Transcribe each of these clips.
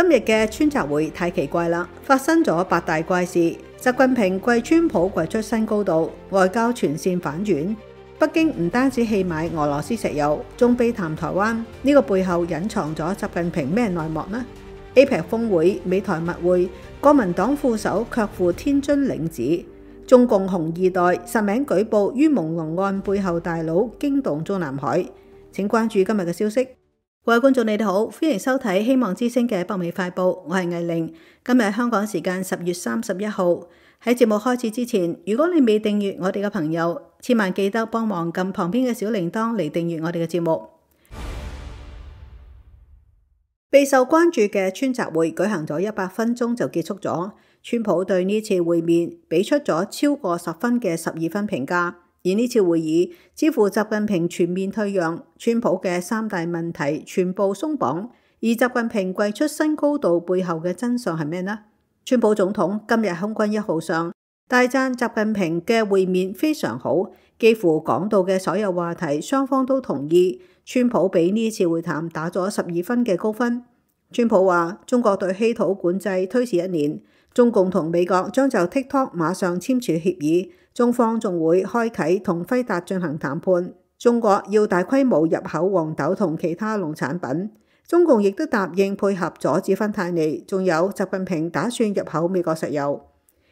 今日嘅川習會太奇怪啦，發生咗8大怪事。習近平跪川普跪出新高度，外交全線反轉。北京唔單止棄買俄羅斯石油，仲避談台灣，呢個背後隱藏咗習近平咩內幕呢？ APEC 峰會、美台密會，國民黨副手卻赴天津領旨。中共紅二代實名舉報於朦朧案背後大佬驚動中南海。請關注今日嘅消息。各位觀眾你哋好，歡迎收睇希望之聲嘅北美快報，我係藝玲。今日香港時間10月31號。喺節目開始之前，如果你未訂閱我哋嘅朋友，千萬記得幫忙撳旁邊嘅小鈴鐺嚟訂閱我哋嘅節目。備受關注嘅川習會舉行咗100分鐘就結束咗，川普對呢次會面俾出咗超過10分嘅12分評價。而呢次會議似乎習近平全面退讓，川普嘅3大問題全部鬆綁，而習近平跪出新高度背後嘅真相係咩呢？川普總統今日空軍1號上大讚習近平嘅會面非常好，幾乎講到嘅所有話題雙方都同意。川普俾呢次會談打咗12分嘅高分。川普話中國對稀土管制推遲1年，中共同美國將就 TikTok 馬上簽署協議，中方仲會開啟同輝達進行談判。中國要大規模入口黃豆同其他農產品，中共亦都答應配合阻止芬太尼，仲有習近平打算入口美國石油。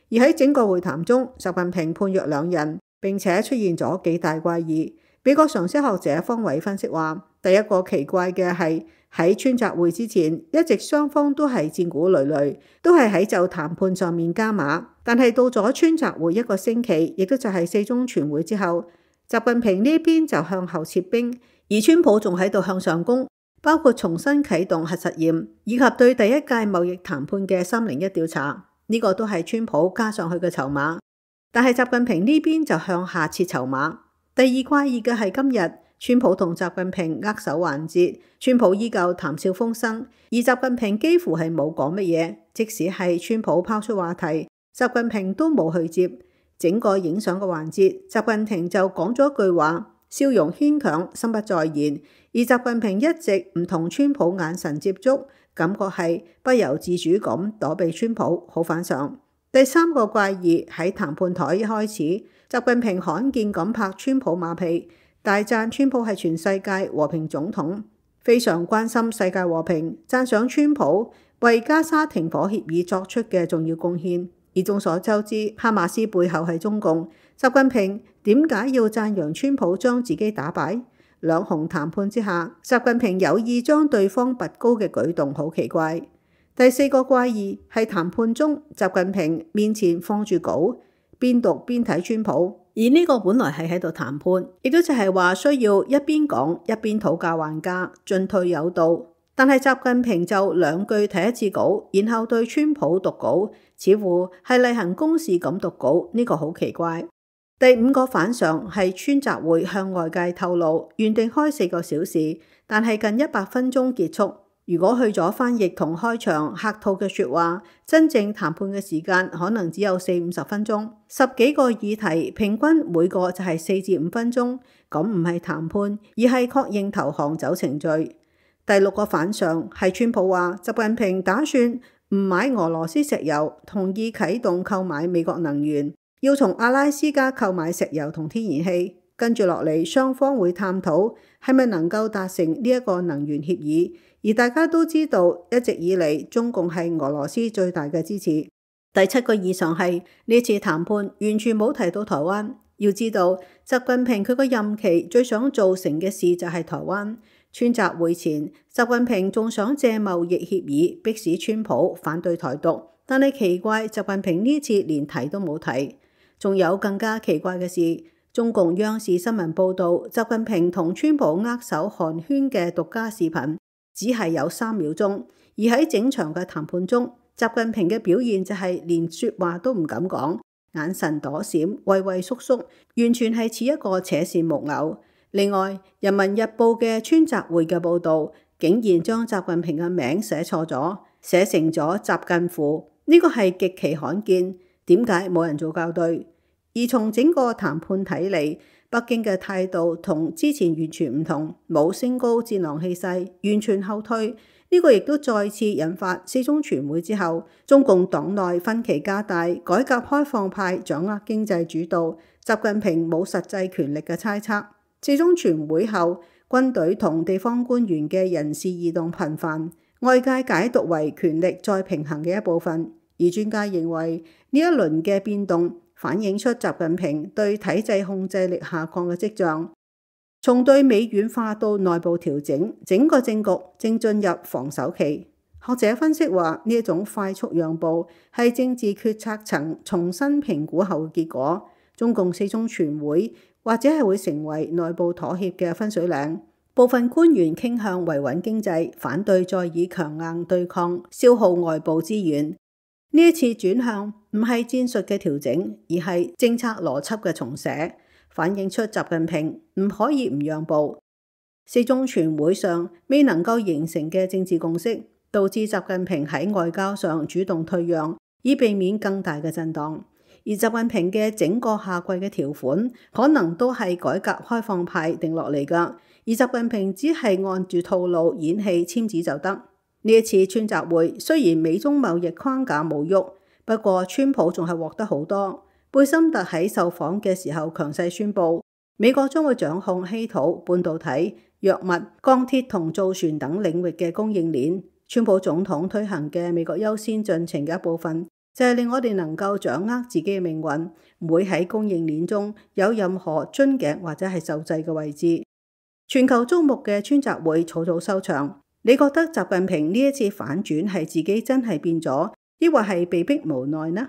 而喺整個會談中，習近平判若兩人，並且出現咗幾大怪異。美國常識學者方偉分析話，第一個奇怪嘅係喺川習會之前，一直雙方都係戰鼓累累，都係喺就談判上面加碼。但係到咗川習會1個星期，亦都就係4中全會之後，習近平呢邊就向後撤兵，而川普仲喺度向上攻，包括重新啟動核實驗，以及對第一屆貿易談判嘅301調查，呢個都係川普加上去嘅籌碼。但係習近平呢邊就向下撤籌碼。第二怪異嘅係今日川普同習近平握手環節，川普依舊談笑風生，而習近平幾乎係冇講乜嘢，即使係川普拋出話題，習近平都冇去接。整個影相嘅環節，習近平就講咗一句話，笑容牽強，心不在焉。而習近平一直唔同川普眼神接觸，感覺係不由自主咁躲避川普，好反常。第三個怪異喺談判台一開始，習近平罕見咁拍川普馬屁，大讚川普係全世界和平總統，非常關心世界和平，讚賞川普為加沙停火協議作出嘅重要貢獻。而眾所周知，哈馬斯背後係中共，習近平點解要讚揚川普將自己打敗？兩雄談判之下，習近平有意將對方拔高嘅舉動好奇怪。第四個怪異係談判中，習近平面前放住稿，邊讀邊睇川普。而呢個本來係喺度談判，亦都就係話需要一邊講一邊討價還價，進退有道。但係習近平就2句睇1次稿，然後對川普讀稿，似乎係例行公事咁讀稿，呢個好奇怪。第5個反常係川習會向外界透露，原定開4個小時，但係近100分鐘結束。如果去咗翻譯同開場客套嘅說話，真正談判嘅時間可能只有40-50分鐘，10幾個議題，平均每個就係4至5分鐘，咁唔係談判，而係確認投降走程序。第6個反常係川普話，習近平打算唔買俄羅斯石油，同意啟動購買美國能源，要從阿拉斯加購買石油同天然氣。跟住落嚟，雙方會探討係咪能夠達成呢一個能源協議。而大家都知道，一直以嚟中共係俄羅斯最大嘅支持。第7個異常係呢次談判完全冇提到台灣。要知道，習近平佢個任期最想做成嘅事就係台灣。川習會前，習近平仲想借貿易協議迫使川普反對台獨，但係奇怪，習近平呢次連提都冇提。仲有更加奇怪嘅事，中共央視新聞報道，習近平同川普握手寒暄嘅獨家視頻只係有3秒鐘，而喺整場嘅談判中，習近平嘅表現就係連說話都唔敢講，眼神躲閃，畏畏縮縮，完全係似一個扯線木偶。另外，《人民日報》嘅川習會嘅報導，竟然將習近平嘅名寫錯咗，寫成咗習近乎，呢個係極其罕見。點解冇人做校對？而從整個談判睇嚟，北京嘅態度同之前完全唔同，冇升高戰狼氣勢，完全後退。呢個亦都再次引發四中全會之後，中共黨內分歧加大，改革開放派掌握經濟主導，習近平冇實際權力嘅猜測。四中全會後，軍隊同地方官員嘅人事異動頻繁，外界解讀為權力再平衡嘅一部分。而專家認為呢一輪嘅變動反映出習近平對體制控制力下降嘅跡象，從對美軟化到內部調整，整個政局正進入防守期。學者分析話，呢一種快速讓步係政治決策層重新評估後嘅結果。中共四中全會或者係會成為內部妥協嘅分水嶺。部分官員傾向維穩經濟，反對再以強硬對抗，消耗外部資源。呢一次轉向唔係戰術嘅調整，而係政策邏輯嘅重寫，反映出習近平唔可以唔讓步。四中全會上未能夠形成嘅政治共識，導致習近平喺外交上主動退讓，以避免更大嘅震盪。而習近平嘅整個下季嘅條款，可能都係改革開放派定落嚟㗎，而習近平只係按住套路演戲簽字就得。呢一次川習會雖然美中貿易框架冇喐，不過川普仲係獲得好多。貝森特喺受訪嘅時候強勢宣布，美國將會掌控稀土、半導體、藥物、鋼鐵同造船等領域嘅供應鏈。川普總統推行嘅美國優先進程嘅一部分，就係令我哋能夠掌握自己嘅命運，唔會喺供應鏈中有任何樽頸或者係受制嘅位置。全球矚目嘅川習會草草收場。你覺得習近平呢一次反轉係自己真係變咗，抑或係被逼無奈呢？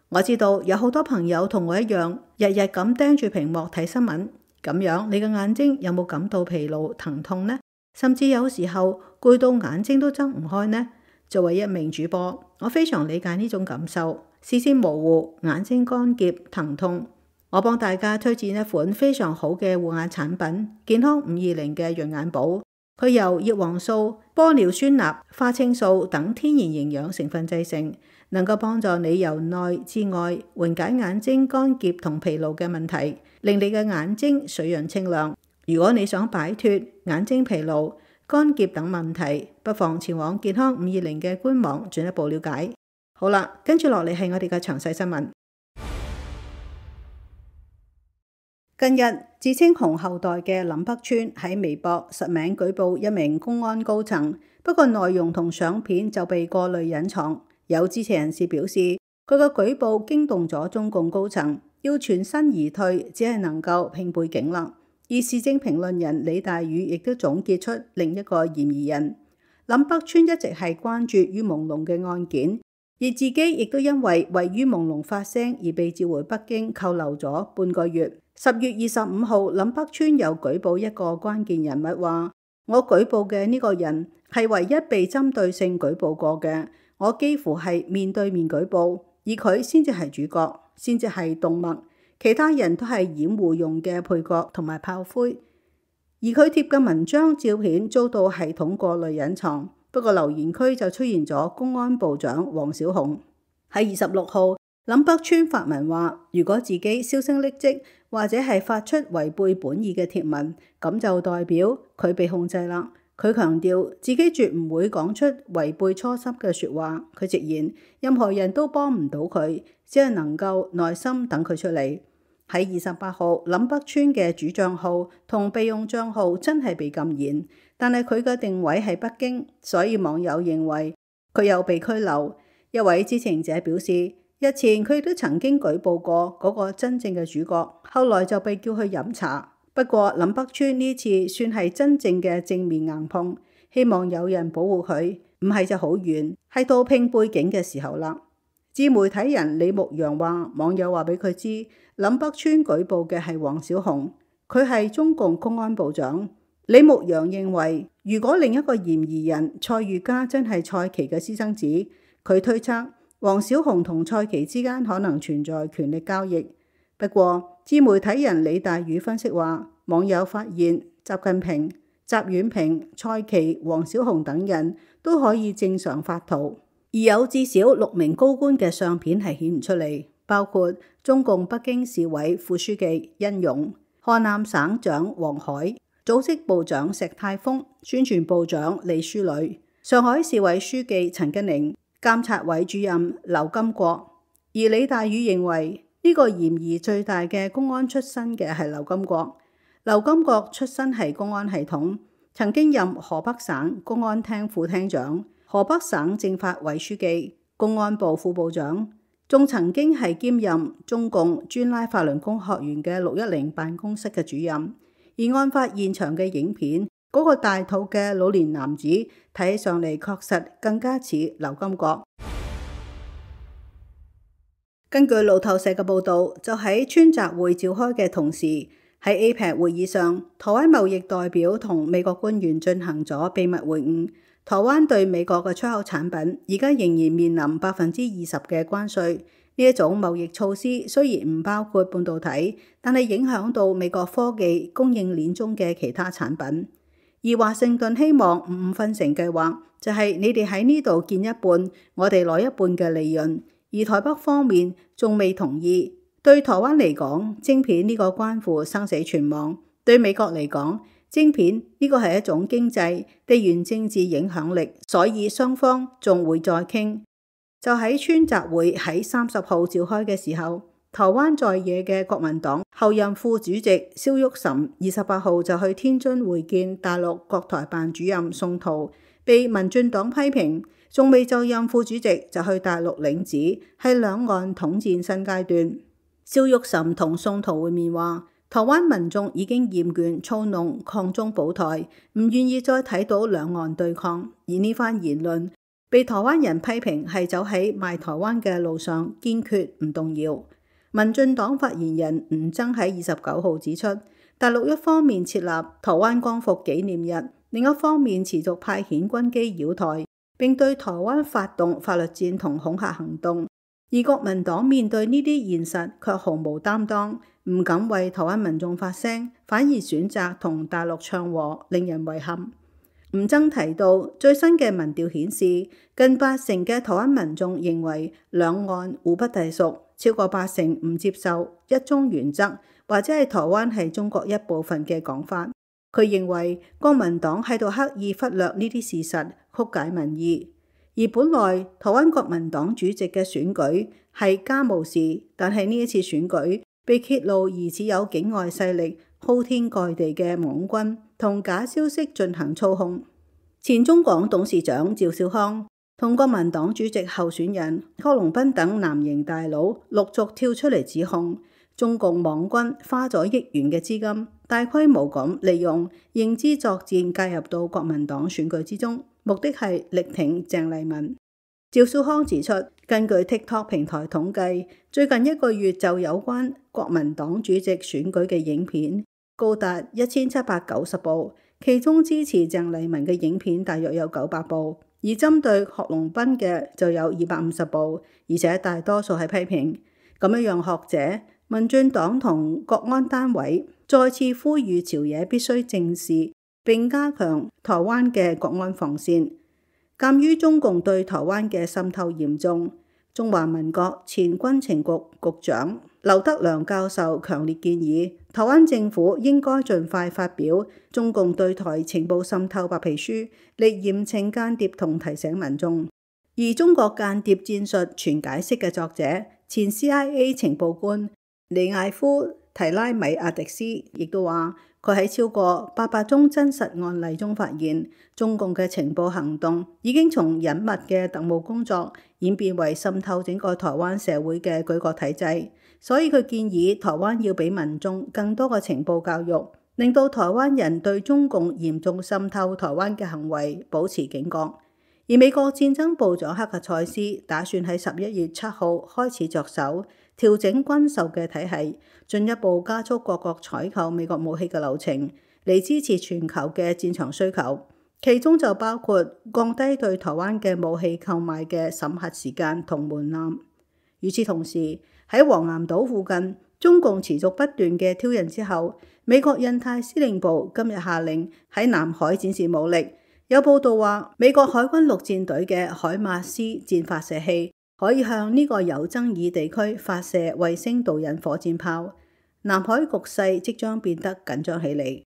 我知道有好多朋友同我一樣，日日咁盯住屏幕睇新聞，咁樣你嘅眼睛有冇感到疲勞、疼痛呢？甚至有時候攰到眼睛都睜唔開呢？作為一名主播，我非常理解呢種感受，視線模糊、眼睛乾澀、疼痛。我幫大家推薦一款非常好嘅護眼產品——健康520嘅潤眼寶。佢由葉黃素、玻尿酸鈉、花青素等天然營養成分製成，能夠幫助你由內至外緩解眼睛乾澀同疲勞嘅問題，令你嘅眼睛水潤清亮。如果你想擺脫眼睛疲勞、乾澀等問題，不妨前往健康520嘅官網進一步了解。好啦，跟住落嚟係我哋嘅詳細新聞。近日，自稱紅後代嘅林北川喺微博實名舉報一名公安高層，不過內容同相片就被過濾隱藏。有知情人士表示，佢嘅舉報驚動咗中共高層，要全身而退，只係能夠拼背景啦。而時政評論人李大宇亦都總結出另一個嫌疑人。林北川一直係關注于朦朧嘅案件，而自己亦都因為于朦朧發聲而被召回北京扣留咗半個月。10月25號，林北川又舉報一個關鍵人物，話我舉報嘅呢個人係唯一被針對性舉報過嘅，我幾乎係面對面舉報，而佢先至係主角，先至係動脈，其他人都係掩護用嘅配角同埋炮灰。而佢貼嘅文章照片遭到系統過濾隱藏，不過留言區就出現咗公安部長王小洪。喺26號，林北川發文話，如果自己銷聲匿跡，或者係發出違背本意嘅貼文，咁就代表佢被控制啦。佢強調自己絕唔會講出違背初心嘅說話。佢直言任何人都幫唔到佢，只係能夠耐心等佢出嚟。喺28號，林北川嘅主賬號同備用賬號真係被禁言，但係佢嘅定位係北京，所以網友認為佢有被拘留。一位知情者表示，日前佢都曾經舉報過嗰個真正嘅主角，後來就被叫去飲茶。不過林北川呢次算係真正嘅正面硬碰，希望有人保護佢，唔係就好遠，係到拼背景嘅時候啦。自媒體人李牧陽話，網友話俾佢知，林北川舉報嘅係王小洪，佢係中共公安部長。李牧陽認為，如果另一個嫌疑人蔡玉嘉真係蔡奇嘅私生子，佢推測王小洪同蔡奇之間可能存在權力交易。不過，自媒體人李大宇分析話，網友發現習近平、習遠平、蔡奇、王小洪等人都可以正常發圖，而有至少6名高官嘅相片係顯唔出嚟，包括中共北京市委副書記殷勇、河南省長黃海、組織部長石泰峰、宣傳部長李書磊。上海市委書記陳吉寧、監察委主任劉金國。而李大宇認為呢個嫌疑最大嘅公安出身嘅係劉金國。劉金國出身係公安系統，曾經任河北省公安廳副廳長、河北省政法委書記、公安部副部長，仲曾經係兼任中共專拉法輪功學員嘅610辦公室嘅主任。而案發現場嘅影片，嗰個大肚嘅老年男子睇起上嚟確實更加似劉金國。根據路透社嘅報導，就喺川習會召開嘅同時，喺 APEC 會議上，台灣貿易代表同美國官員進行咗秘密會晤。台灣對美國嘅出口產品而家仍然面臨20%嘅關稅。呢一種貿易措施雖然唔包括半導體，但係影響到美國科技供應鏈中嘅其他產品。而華盛頓希望五分成計劃就係你哋喺呢度建一半，我哋攞一半嘅利潤。而台北方面仲未同意。對台灣嚟講，晶片呢個關乎生死存亡；對美國嚟講，晶片呢個係一種經濟、地緣政治影響力，所以雙方仲會再傾。就喺川習會喺30號召開嘅時候，台灣在野嘅國民黨後任副主席蕭旭岑28號就去天津會見大陸國台辦主任宋濤，被民進黨批評。仲未就任副主席就去大陸領旨，係兩岸統戰新階段。蕭旭岑同宋濤會面話，台灣民眾已經厭倦操弄抗中保台，唔願意再睇到兩岸對抗。而呢番言論被台灣人批評係走喺賣台灣嘅路上，堅決唔動搖。民進黨發言人吳崢喺29號指出，大陸一方面設立台灣光復紀念日，另一方面持續派遣軍機擾台，並對台灣發動法律戰同恐嚇行動，而國民黨面對呢啲現實卻毫無擔當，唔敢為台灣民眾發聲，反而選擇同大陸唱和，令人遺憾。吳崢提到，最新嘅民調顯示，近80%嘅台灣民眾認為兩岸互不隸屬，超過80%唔接受一中原則，或者係台灣係中國一部分嘅講法。佢認為國民黨喺度刻意忽略呢啲事實，曲解民意。而本來台灣國民黨主席嘅選舉係家務事，但係呢一次選舉被揭露疑似有境外勢力鋪天蓋地嘅網軍同假消息進行操控。前中廣董事長趙少康同國民黨主席候選人郝龍斌等藍營大佬陸續跳出嚟指控，中共網軍花咗億元嘅資金，大規模咁利用認知作戰介入到國民黨選舉之中，目的係力挺鄭麗文。趙少康指出，根據 TikTok 平台統計，最近1個月就有關國民黨主席選舉嘅影片高達1790部，其中支持鄭麗文嘅影片大約有900部，而針對郝龍斌嘅就有250部，而且大多數係批評。咁樣讓學者、民進黨同國安單位再次呼籲朝野必須正視並加強台灣嘅國安防線。鑑於中共對台灣嘅滲透嚴重，中華民國前軍情局局長劉德良教授強烈建議，台灣政府應該盡快發表中共對台情報滲透白皮書，嚟嚴懲間諜同提醒民眾。而中國間諜戰術全解釋嘅作者、前 CIA 情報官尼艾夫提拉米亞迪斯亦都話，佢喺超過800宗真實案例中發現，中共嘅情報行動已經從隱密嘅特務工作演變為滲透整個台灣社會嘅舉國體制。所以佢建議台灣要俾民眾更多嘅情報教育，令到台灣人對中共嚴重滲透台灣嘅行為保持警覺。而美國戰爭部長克格塞斯打算喺11月7號開始着手調整軍售嘅體系，進一步加速各國採購美國武器嘅流程，嚟支持全球嘅戰場需求。其中就包括降低對台灣嘅武器購買嘅審核時間同門檻。與此同時，喺黃岩島附近，中共持續不斷嘅挑釁之後，美國印太司令部今日下令喺南海展示武力。有報道話，美國海軍陸戰隊嘅海馬斯戰發射器可以向呢個有爭議地區發射衛星導引火箭炮。南海局勢即將變得緊張起嚟。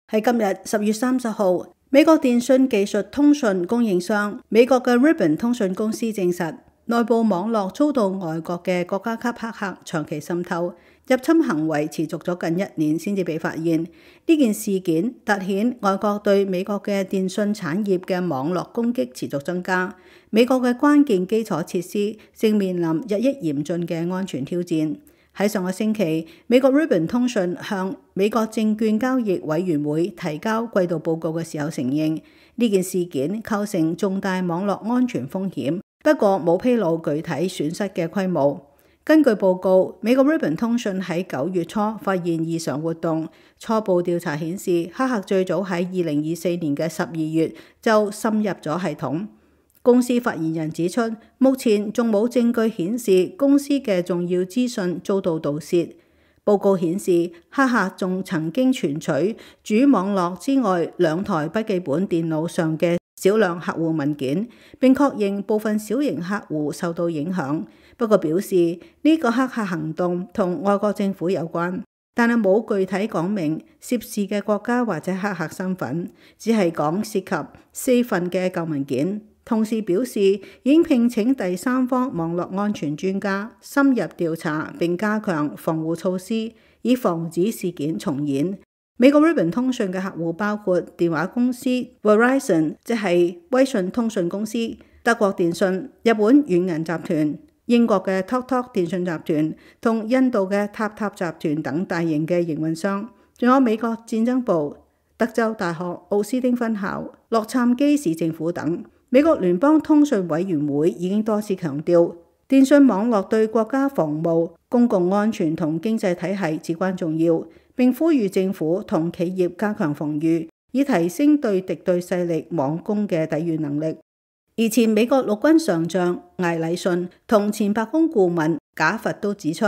喺今日10月30號，美國電訊技術通訊供應商美國嘅 Ribbon 通訊公司證實，內部網絡遭到外國嘅國家級黑客長期滲透，入侵行為持續咗近1年先至被發現。呢件事件凸顯外國對美國嘅電訊產業嘅網絡攻擊持續增加，美國嘅關鍵基礎設施正面臨日益嚴峻嘅安全挑戰。喺上個星期，美國 Ribbon 通訊向美國證券交易委員會提交季度報告嘅時候承認，呢件事件構成重大網絡安全風險，不過冇披露具體損失嘅規模。根據報告，美國 Ribbon 通訊喺9月初發現異常活動，初步調查顯示，黑客最早喺2024年嘅12月就滲入咗系統。公司發言人指出，目前仲冇證據顯示公司嘅重要資訊遭到盜竊。報告顯示，黑客仲曾經存取主網絡之外2台筆記本電腦上嘅少量客戶文件，並確認部分小型客戶受到影響。不過表示呢個黑客行動同外國政府有關，但係冇具體講明涉事嘅國家或者黑客身份，只係講涉及4份嘅舊文件。同時表示已經聘請第三方網絡安全專家深入調查並加強防護措施，以防止事件重演。美國 Ribbon 通訊嘅客戶包括電話公司 Verizon， 即係威信通訊公司、德國電信、日本軟銀集團、英國嘅 TalkTalk 電訊集團同印度嘅塔塔集團等大型嘅營運商，仲有美國戰爭部、德州大學奧斯汀分校、洛杉磯市政府等。美國聯邦通訊委員會已經多次強調，電訊網絡對國家防務、公共安全同經濟體系至關重要，並呼籲政府同企業加強防禦，以提升對敵對勢力網攻嘅抵禦能力。而前美國陸軍上將艾禮遜同前白宮顧問賈佛都指出，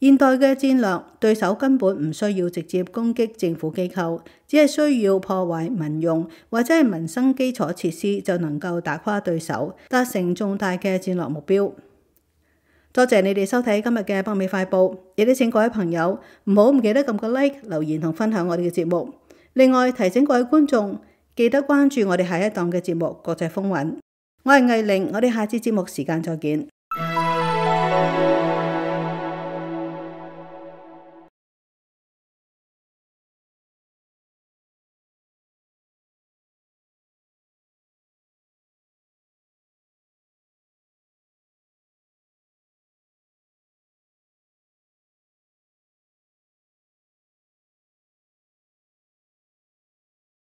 現代嘅戰略對手根本唔需要直接攻擊政府機構，只係需要破壞民用或者係民生基礎設施就能夠打垮對手，達成重大嘅戰略目標。多謝你哋收睇今日嘅北美快報，亦都請各位朋友唔記得撳個 like、留言同分享我哋嘅節目。另外提醒各位觀眾記得關注我哋下一檔嘅節目《國際風雲》。我係藝玲，我哋下次節目時間再見。